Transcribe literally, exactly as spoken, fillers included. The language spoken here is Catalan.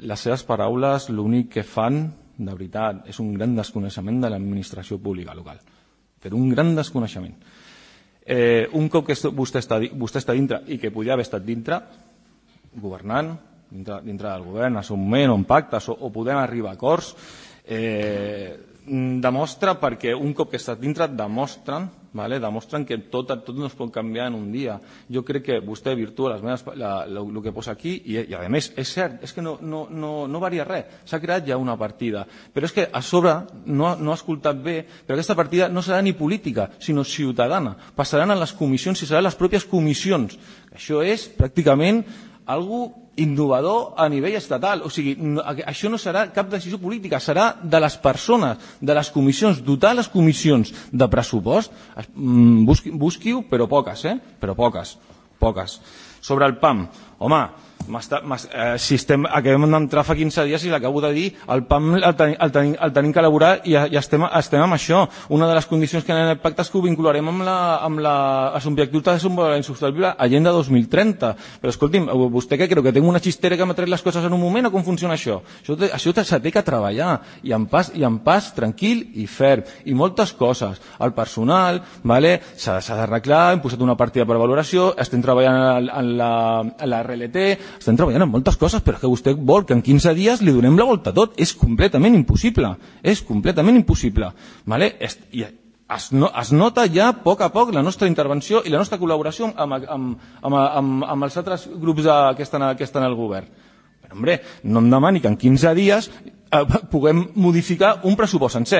Les seves paraules l'únic que fan, de veritat, és un gran desconeixement de l'administració pública local. Però un gran desconeixement. Eh, un cop que vostè està, vostè està dintre i que podia haver estat dintre, governant, dintre, dintre del govern, a un moment, on pactes o, o podem arribar a acords, eh, demostra perquè un cop que estàs dintre demostren, vale? demostren que tot, tot no es pot canviar en un dia. Jo crec que vostè virtua les meves, la, la, el que posa aquí i, i a més és cert, és que no, no, no, no varia res, s'ha creat ja una partida, però és que a sobre no, no ha escoltat bé, però aquesta partida no serà ni política sinó ciutadana, passaran a les comissions i seran les pròpies comissions. Això és pràcticament algo innovador a nivell estatal. O sigui, no, això no serà cap decisió política, serà de les persones, de les comissions, dotar les comissions de pressupost. Busqui, busqui-ho, però poques, eh? Però poques, poques. Sobre el P A M, home, eh, si estem, acabem d'entrar fa quinze dies i l'acabo de dir, el P A M el, ten, el, ten, el tenim que elaborar i, i estem, estem amb això. Una de les condicions que en el pacte és que ho vincularem amb la, amb la, els objectius de desenvolupament sostenible Agenda dos mil trenta. Però escolti'm, vostè què creu, que tinc una xistera que m'ha tret les coses en un moment o com funciona això? Això, això s'ha de que treballar i en pas, i en pas tranquil i ferm. I moltes coses. El personal, vale, s'ha d'arreglar, hem posat una partida per valoració, estem treballant en la, en la R L T, estem treballant en moltes coses, però és que vostè vol que en quinze dies li donem la volta a tot. És completament impossible. És completament impossible. Vale? I es, no, es nota ja a poc a poc la nostra intervenció i la nostra col·laboració amb, amb, amb, amb, amb els altres grups de, que, estan, que estan al govern. Però, hombre, no em demani que en quinze dies eh, puguem modificar un pressupost sencer.